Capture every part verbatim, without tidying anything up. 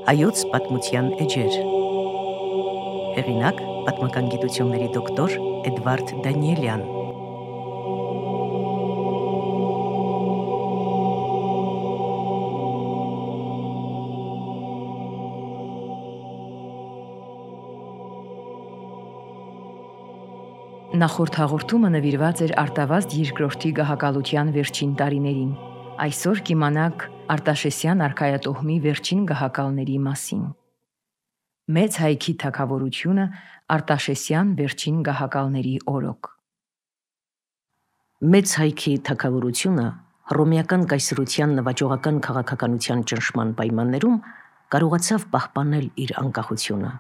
Հայոց պատմության էջեր։ Հեղինակ պատմական գիտությունների դոկտոր Էդվարդ Դանիելյան։ Նախորդ հաղորդումը նվիրված էր Արտավազդ երկրորդի գահակալության վերջին տարիներին։ Այսօր կիմանաք Արտաշեսյան արքայատոհմի վերջին գահակալների մասին։ Մեծ հայքի թագավորությունը Արտաշեսյան վերջին գահակալների օրոք։ Մեծ հայքի թագավորությունը հռոմեական կայսրության նվաճողական քաղաքականության ճնշման պայմաններում կարողացավ պահպանել իր անկախությունը։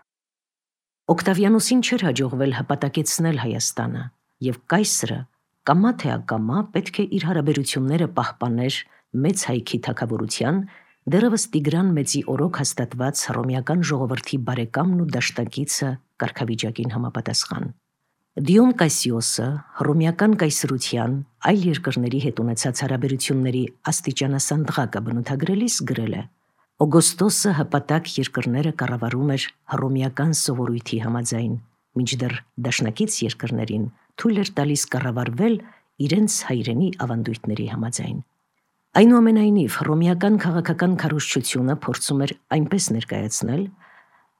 Օկտավիանոսին չէր հաջողվել հպատակեցնել Հայաստանը, եւ կայսրը կամա թե ակամա պետք է իր հարաբերությունները պահպաներ մեծ հայքի թագավորության, դեռևս Տիգրան Մեծի օրոք հաստատված հռոմեական ժողովրդի բարեկամն ու դաշնակիցը կարգավիճակին համապատասխան։ Դիոն Կասիոսը հռոմեական կայսրության այլ երկրների հետ ունեցած հարաբերությունների աստիճանասանդղակը բնութագրելիս գրել է. Օգոստոսը հպատակ երկրները կառավարում էր հռոմեական սովորույթի համաձայն, մինչդեռ դաշնակից երկրներին թույլ էր տալիս կառավարվել իրենց հայրենի ավանդույթների համաձայն։ Այնուամենայնիվ, հռոմեական քաղաքական քարոզչությունը փորձում էր այնպես ներկայացնել,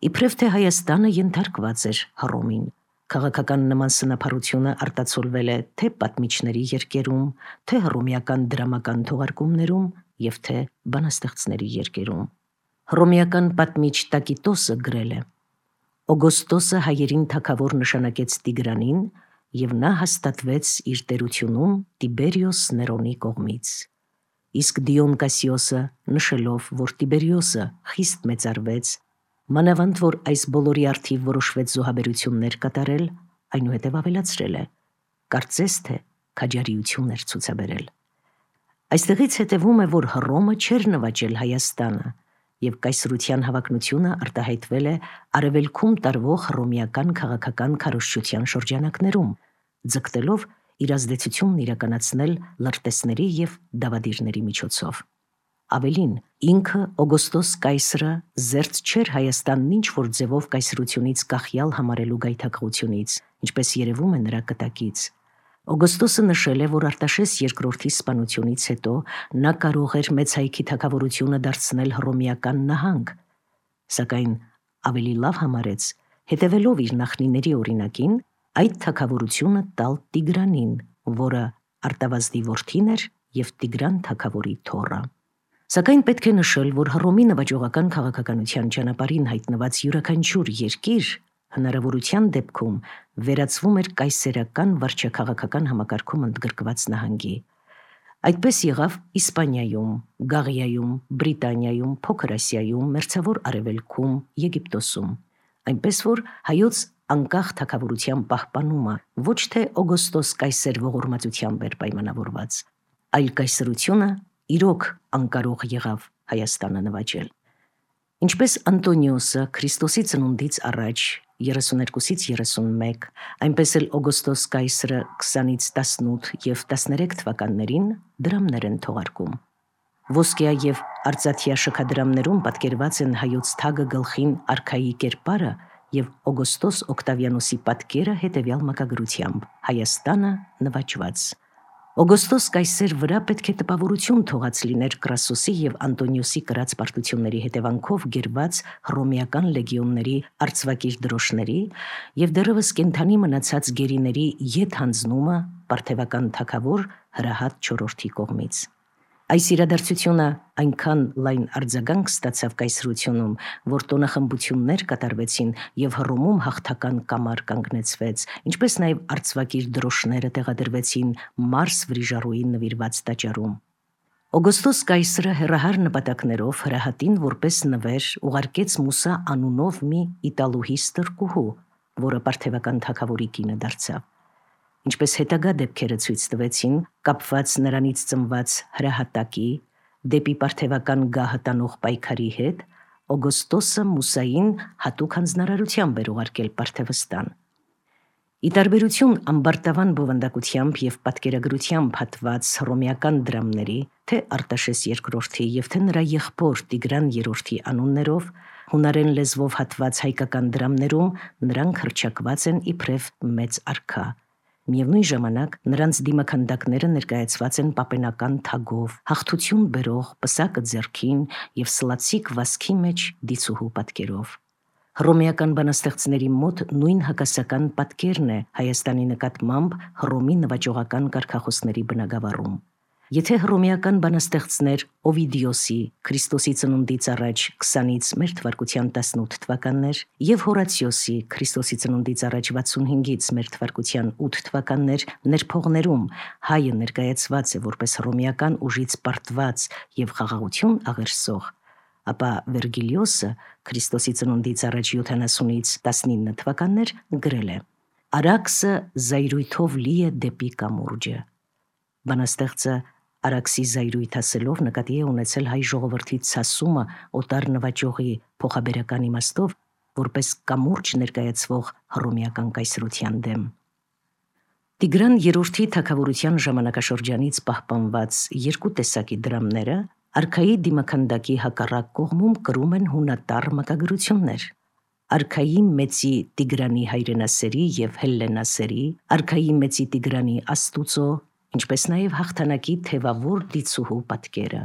իբրև թե Հայաստանը ենթարկված էր Հռոմին։ Քաղաքական նման սնափառությունը արտացոլվել է թե պատմիչների երկերում, թե հռոմեական դրամական թողարկումներում և թե բանաստեղծների երկերում։ Հռոմեական պատմիչ Տակիտոսը գրել է. Օգոստոսը հայերին թագավոր նշանակեց Տիգրանին, և նա հաստատվեց իր տերությունում Տիբերիոս Ներոնի կողմից։ Իսկ Դիոն Կասիոսը նշելով, որ Տիբերիոսը խիստ մեծարվեց, մանավանդ որ այս բոլորի առթիվ որոշվեց զոհաբերություններ կատարել, այնուհետև ավելացրել է. կարծես թե քաջարիություն էր ցուցաբերել։ Այստեղից հետևում է, որ Հռոմը չէր նվաճել Հայաստանը, և կայսրության հավակնությունը արտահայտվել է արևելքում տարվող հռոմեական քաղաքական քարոզչության շրջանակներում, ձգտելով իր ազդեցությունն իրականացնել լրտեսների և դավադիրների միջոցով։ Ավելին, ինքը Օգոստոս կայսրը զերծ չէր Հայաստանն ինչ-որ ձևով կայսրությունից կախյալ համարելու գայթակղությունից, ինչպես երևում է նրա կտակից։ Օգոստոսը նշել է, որ Արտաշես երկրորդի սպանությունից հետո նա կարող էր մեծ հայքի թագավորությունը դարձնել հռոմեական նահանգ, սակայն ավելի լավ համարեց, հետևելով իր նախնիների օրինակին, այդ թագավորությունը տալ Տիգրանին, որը Արտավազդի որդին էր և Տիգրան թագավորի թոռը։ Սակայն պետք է նշել, որ Հռոմի նվաճողական քաղաքականության ճանապարհին հայտնված յուրաքանչյուր երկիր հնարավորության դեպքում վերածվում էր կայսերական վարչաքաղաքական համակարգում ընդգրկված նահանգի։ Այդպես եղավ Իսպանիայում, Գաղիայում, Բրիտանիայում, Փոքր Ասիայում, Մերձավոր Արևելքում, Եգիպտոսում։ Այնպես որ հայոց անկախ թագավորության պահպանումը ոչ թե Օգոստոս կայսեր ողորմածությամբ էր պայմանավորված, այլ կայսրությունը իրոք անկարող եղավ Հայաստանը նվաճել։ Ինչպես Անտոնիոսը Քրիստոսի ծնունդից առաջ երեսուներկուսից երեսունմեկ, այնպես էլ Օգոստոս կայսրը քսանից տասնութ և տասներեք թվականներին դրամներ են թողարկում։ Ոսկյա և արծաթյա շքադրամներում պատկերված են հայոց թագը գլխին արքայի կերպարը և Օգոստոս Օկտավիանոսի պատկերը հետևյալ մակագրությամբ. Հայաստանը նվաճված։ Օգոստոս կայսեր վրա պետք է տպավորություն թողած լիներ Կրասոսի և Անտոնիոսի կրած պարտությունների հետևանքով գերված հռոմեական լեգիոնների արծվակիր դրոշների և դեռևս կենդանի մնացած գերիների ետ հանձնումը պարթևական թագավոր Հրահատ չորրորդի կողմից։ Այս իրադարձությունը այնքան լայն արձագանք ստացավ կայսրությունում, որ տոնախմբություններ կատարվեցին և Հռոմում հաղթական կամար կանգնեցվեց, ինչպես նաև արծվակիր դրոշները տեղադրվեցին Մարս Վրիժառուին նվիրված տաճարում։ Օգոստոս կայսրը հեռահար նպատակներով Հրահատին որպես նվեր ուղարկեց Մուսա անունով մի իտալուհի ստրկուհու, որը պարթևական թագավորի կինը դարձավ։ Ինչպես հետագա դեպքերը ցույց տվեցին, կապված նրանից ծնված հրահատակի դեպի պարթևական գահը տանող պայքարի հետ, Օգոստոսը Մուսային հատուկ հանձնարարությամբ էր ուղարկել Պարթևստան։ Ի տարբերություն ամբարտավան բովանդակությամբ և պատկերագրությամբ հատված հռոմեական դրամների, թե Արտաշես երկրորդի և թե նրա եղբոր Տիգրան երրորդի անուններով, հունարեն լեզվով հատված հայկական դրամներում նրանք հռչակված են իբրև մեծ արքա։ Միևնույն ժամանակ նրանց դիմաքանդակները ներկայացված են պապենական թագով, հաղթություն բերող պսակը ձեռքին և սլացիկ վազքի մեջ դիցուհու պատկերով։ Հռոմեական բանաստեղծների մոտ նույն հակասական պատկերն է Հայաստանի նկատմամբ Հռոմի նվաճողական կարգախոսների բնագավառում։ Եթե հռոմեական բանաստեղծներ Օվիդիոսի Քրիստոսի ծնունդից առաջ քսանից մեր թվարկության տասնութ թվականներ և Հորացիոսի Քրիստոսի ծնունդից առաջ վաթսունհինգից մեր թվարկության ութ թվականներ ներփողներում հայը ներկայացված է որպես հռոմեական ուժից պարտված և խաղաղություն աղերսող, ապա Վերգիլիոսը Քրիստոսի ծնունդից առաջ յոթանասունից տասնինը թվականներ գրել է. «Արաքսը զայրույթով լի է դեպի կամուրջը»։ Բանաստեղծը Արաքսի զայրույթ ասելով նկատի է ունեցել հայ ժողովրդի ցասումը օտար նվաճողի փոխաբերական իմաստով որպես կամուրջ ներկայացվող հռոմեական կայսրության դեմ։ Տիգրան երրորդի թագավորության ժամանակաշրջանից պահպանված երկու տեսակի դրամները արքայի դիմաքանդակի հակառակ կողմում կրում են հունատառ մակագրություններ։ Արքայի մեծի Տիգրանի հայրենասերի և հելլենասերի, արքայի մեծի Տիգրանի Աստուծո, ինչպես նաև հաղթանակի թևավոր դիցուհու պատկերը։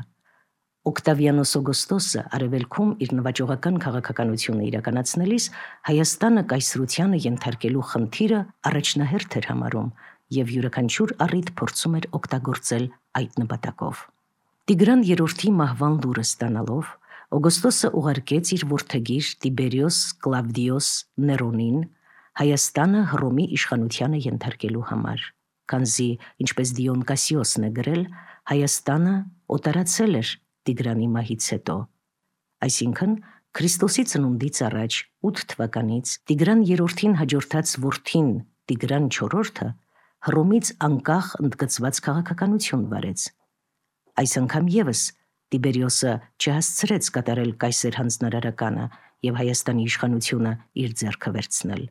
Օկտավիանոս Օգոստոսը արևելքում իր նվաճողական քաղաքականությունը իրականացնելիս Հայաստանը կայսրությանը ենթարկելու խնդիրը առաջնահերթ էր համարում և յուրաքանչյուր առիթ փորձում էր օգտագործել այդ նպատակով։ Տիգրան երրորդի մահվան լուրը ստանալով Օգոստոսը ուղարկեց իր որդեգիր Տիբերիոս Կլավդիոս Ներոնին Հայաստանը Հռոմի իշխանությանը ենթարկելու համար, քանզի, ինչպես Դիոն Կասիոսն է գրել, Հայաստանը օտարացել էր Տիգրանի մահից հետո։ Այսինքն, Քրիստոսի ծնունդից առաջ ութ թվականից Տիգրան երրորդին հաջորդած որդին Տիգրան չորրորդը Հռոմից անկախ ընդգծված քաղաքականություն վարեց։ Այս անգամ ևս Տիբերիոսը չհասցրեց կատարել կայսեր հանձնարարականը և Հայաստանի իշխանությունը իր ձեռքը վերցնել։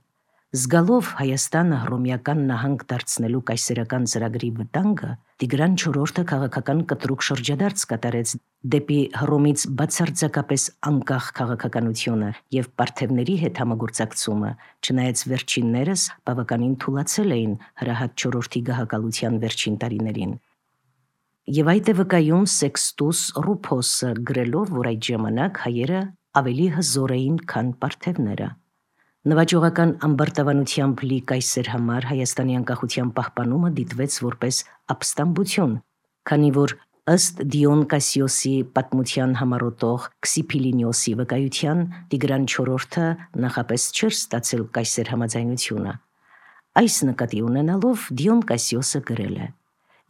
Զգալով Հայաստանը հռոմեական նահանգ դարձնելու կայսերական ծրագրի վտանգը, Տիգրան չորրորդը քաղաքական կտրուկ շրջադարձ կատարեց դեպի Հռոմից բացարձակապես անկախ քաղաքականությունը և պարթևների հետ համագործակցումը, չնայած վերջիններս բավականին թուլացել էին հրահատ չորրորդի գահակալության վերջին տարիներին։ Եվ այդ է վկայում Սեքստուս Ռուփոսը գրելով, որ այդ ժամանակ հայերը ավելի հզոր էին, քան պարթևները։ Նվաճողական ամբարտավանությամբ լի կայսեր համար Հայաստանի անկախության պահպանումը դիտվեց որպես ապստամբություն, քանի որ ըստ Դիոն Կասիոսի պատմության համառոտող Քսիփիլինիոսի վկայության Տիգրան չորրորդը նախապես չէր ստացել կայսեր համաձայնությունը։ Այս նկատի ունենալով Դիոն Կասիոսը գրել է.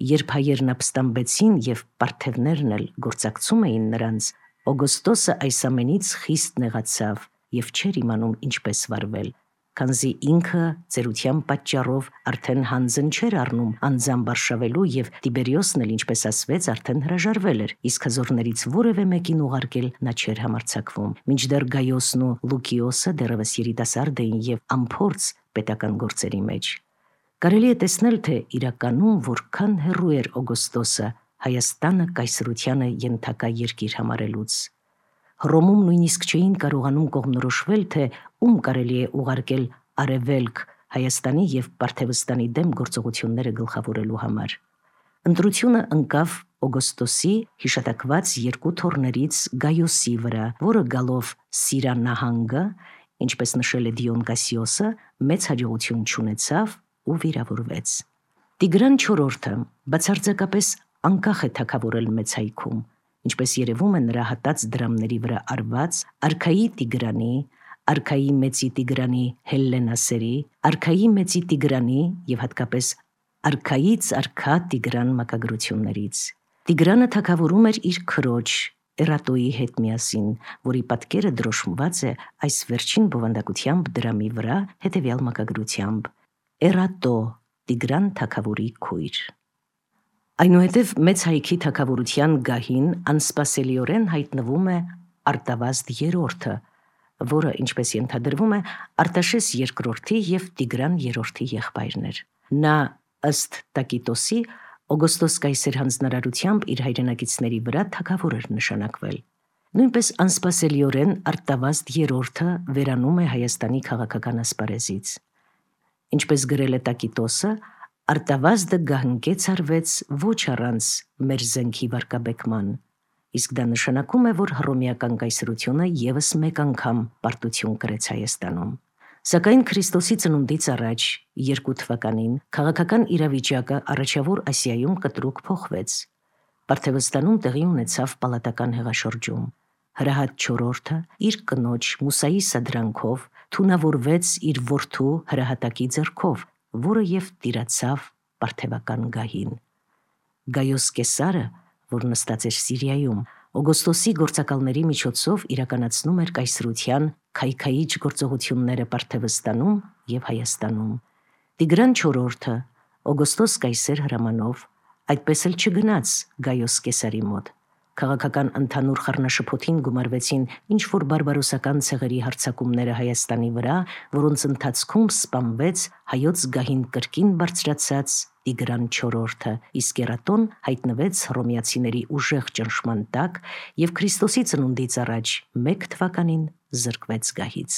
«Երբ հայերն ապստամբեցին և պարթևներն էլ գործակցում էին նրանց, Օգոստոսը այս ամենից խիստ նեղացավ և չէր իմանում ինչպես վարվել, քանզի ինքը ծերության պատճառով արդեն հանձն չէր առնում անձամբ արշավելու և Տիբերիոսն էլ, ինչպես ասվեց, արդեն հրաժարվել էր, իսկ հզորներից որևէ մեկին ուղարկել նա չէր համարձակվում, մինչդեռ Գայոսն ու Լուկիոսը դեռևս երիտասարդ էին և անփորձ պետական գործերի մեջ։ Կարելի է տեսնել, թե իրականում որքան հեռու էր Օգոստոսը Հայաստանը կայսրությանը ենթակա երկիր համարելուց։ Հռոմում նույնիսկ չէին կարողանում կողմնորոշվել, թե ում կարելի է ուղարկել արևելք Հայաստանի և Պարթևստանի դեմ գործողությունները գլխավորելու համար։ Ընտրությունը ընկավ Օգոստոսի հիշատակված երկու թոռներից Գայոսի վրա, որը գալով Սիրա նահանգը, ինչպես նշել է Դիոն Կասիոսը, մեծ հաջողություն չունեցավ ու վիրավորվեց։ Տիգրան չորրորդը բացարձակապես անկախ է թագավորել մեծ հայքում, ինչպես երևում է նրա հատած դրամների վրա արված արքայի Տիգրանի, արքայի մեծի Տիգրանի հելլենասերի, արքայի մեծի Տիգրանի և հատկապես արքայից արքա Տիգրան մակագրություններից։ Տիգրանը թագավորում էր իր քրոջ Էրատոյի հետ միասին, որի պատկերը դրոշմված է այս վերջին բովանդակությամբ դրամի վրա հետևյալ մակագրությամբ. Էրատո, Տիգրան թագավորի քույր։ Այնուհետև մեծ հայքի թագավորության գահին անսպասելիորեն հայտնվում է Արտավազդ երրորդը, որը, ինչպես ենթադրվում է, Արտաշես երկրորդի և Տիգրան երրորդի եղբայրն էր։ Նա, ըստ Տակիտոսի, Օգոստոս կայսեր հանձնարարությամբ իր հայրենակիցների վրա թագավոր էր նշանակվել։ Նույնպես անսպասելիորեն Արտավազդ երրորդը վերանում է Հայաստանի քաղաքական ասպարեզից։ Ինչպես գրել է Տակիտոսը, Արտավազդը գահնկեց արվեց ոչ առանց մեր զենքի վարկաբեկման, իսկ դա նշանակում է, որ հռոմեական կայսրությունը ևս մեկ անգամ պարտություն կրեց Հայաստանում։ Սակայն Քրիստոսի ծնունդից առաջ երկու թվականին քաղաքական իրավիճակը առաջավոր Ասիայում կտրուկ փոխվեց։ Պարթևստանում տեղի ունեցավ պալատական հեղաշրջում։ Հրահատ չորրորդը իր կնոջ Մուսայի սադրանքով թունավորվեց իր որդու հրահատակի ձեռքով, որը եւ տիրացավ պարթևական գահին։ Գայոս Կեսարը, որ նստած էր Սիրիայում, Օգոստոսի գործակալների միջոցով իրականացնում էր կայսրության քայքայիչ գործողությունները Պարթևստանում եւ Հայաստանում։ Տիգրան չորրորդը, Օգոստոս կայսեր հրամանով, այդպես էլ չգնաց Գայոս Կեսարի մոտ։ Քաղաքական ընդհանուր խառնաշփոթին գումարվեցին ինչ-որ բարբարոսական ցեղերի հարձակումները Հայաստանի վրա, որոնց ընթացքում սպանվեց հայոց գահին կրկին բարձրացած Տիգրան չորրորդը, իսկ Էրատոն հայտնվեց հռոմեացիների ուժեղ ճնշման տակ եւ Քրիստոսի ծնունդից առաջ մեկ թվականին զրկվեց գահից։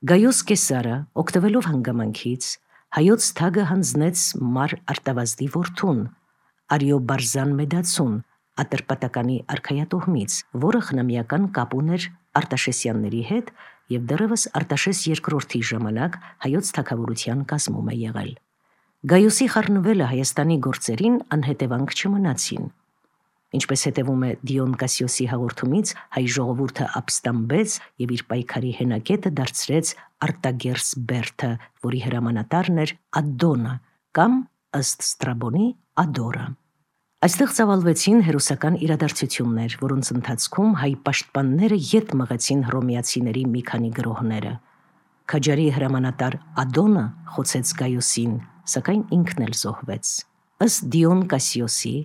Գայոս Կեսարը, օգտվելով հանգամանքից, հայոց թագը հանձնեց մար Արտավազդի որդուն, Արիոբարզան Մեդացուն, Ատրպատականի արքայատոհմից, որը խնամիական կապ ուներ Արտաշեսյանների հետ եւ դեռևս Արտաշես երկրորդի ժամանակ հայոց թագավորության կազմում է եղել։ Գայոսի խառնվելը Հայաստանի գործերին անհետևանք չմնացին։ Ինչպես հետևում է Դիոն Կասիոսի հաղորդումից, հայ ժողովուրդը ապստամբեց եւ իր պայքարի հենակետը դարձրեց Արտագերս Բերթը, որի հրամանատարն էր Ադոնը կամ ըստ Ստրաբոնի Ադորը։ Այստեղ ծավալվեցին հերոսական իրադարձություններ, որոնց ընթացքում հայ պաշտպանները ետ մղեցին հռոմեացիների մի քանի գրոհները։ Քաջարի հրամանատար Ադոնը խոցեց Գայոսին, սակայն ինքն էլ զոհվեց։ Ըստ Դիոն Կասիոսի,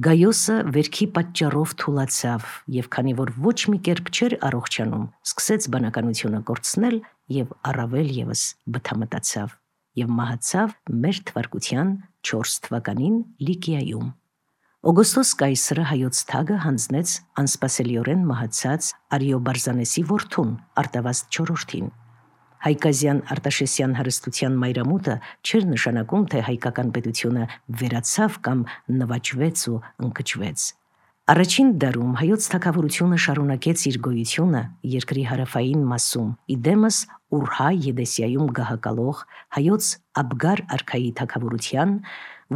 Գայոսը վերքի պատճառով թուլացավ եւ քանի որ ոչ մի կերպ չէր առողջանում, սկսեց բանականությունը կորցնել եւ առավել եւս բթամտացավ եւ մահացավ մեր թվարկության չորս թվականին Լիկիայում։ Օգոստոս կայսրը հայոց թագը հանձնեց անսպասելիորեն մահացած Արիոբարզանեսի որդուն Արտավազդ չորրորդին։ Հայկազյան Արտաշեսյան հարստության մայրամուտը չէր նշանակում, թե հայկական պետությունը վերացավ կամ նվաճվեց ու ընկճվեց։ Առաջին դարում հայոց թագավորությունը շարունակեց իր գոյությունը երկրի հարավային մասում, իդեմս Ուրհա Եդեսիայում գահակալող հայոց Աբգար արքայի թագավորության,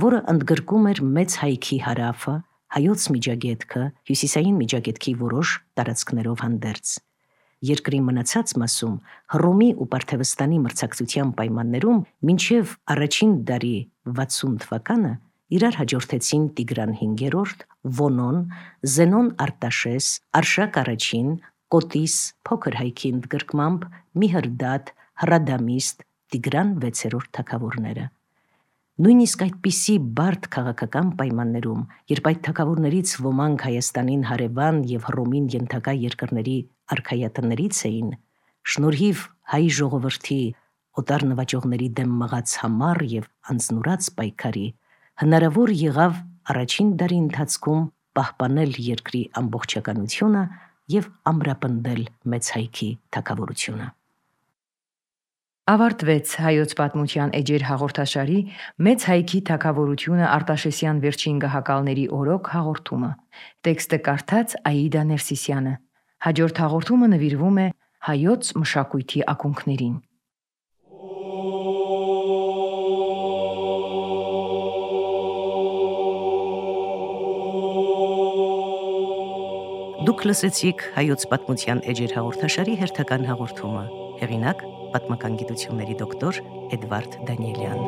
որը ընդգրկում էր մեծ հայքի հարավը, հայոց միջագետքը, հյուսիսային միջագետքի որոշ տարածքներով հանդերձ։ Երկրի մնացած մասում Հռոմի ու Պարթևստանի մրցակցության պայմաններում մինչև առաջին դարի վաթսուն թվականը իրար հաջորդեցին Տիգրան հինգերորդ, Վոնոն, Զենոն Արտաշես, Արշակ առաջին, Կոտիս, փոքր հայքի ընդգրկմամբ, Միհրդատ, Հրադամիստ, Տիգրան վեցերորդ թագավորները։ Նույնիսկ այդպիսի բարդ քաղաքական պայմաններում, երբ այդ թագավորներից ոմանք Հայաստանին հարևան եւ Հռոմին ենթակա երկրների արքայատներից էին, շնորհիվ հայ ժողովրդի օտար նվաճողների դեմ մղած համառ եւ անձնուրաց պայքարի, հնարավոր եղավ առաջին դարի ընթացքում պահպանել երկրի ամբողջականությունը եւ ամրապնդել մեծ հայքի թագավորությունը։ Ավարտվեց հայոց պատմության էջեր հաղորդաշարի մեծ հայքի թագավորությունը Արտաշեսյան վերջին գահակալների օրոք հաղորդումը։ Տեքստը կարդաց Աիդա Ներսիսյանը։ Հաջորդ հաղորդումը նվիրվում է հայոց մշակույթի ակունքներին։ Դուք լսեցիք հայոց պատմության էջեր հաղորդաշարի հերթական հաղորդումը։ Հեղինակ պատմական գիտությունների դոկտոր Էդվարդ Դանիելյան։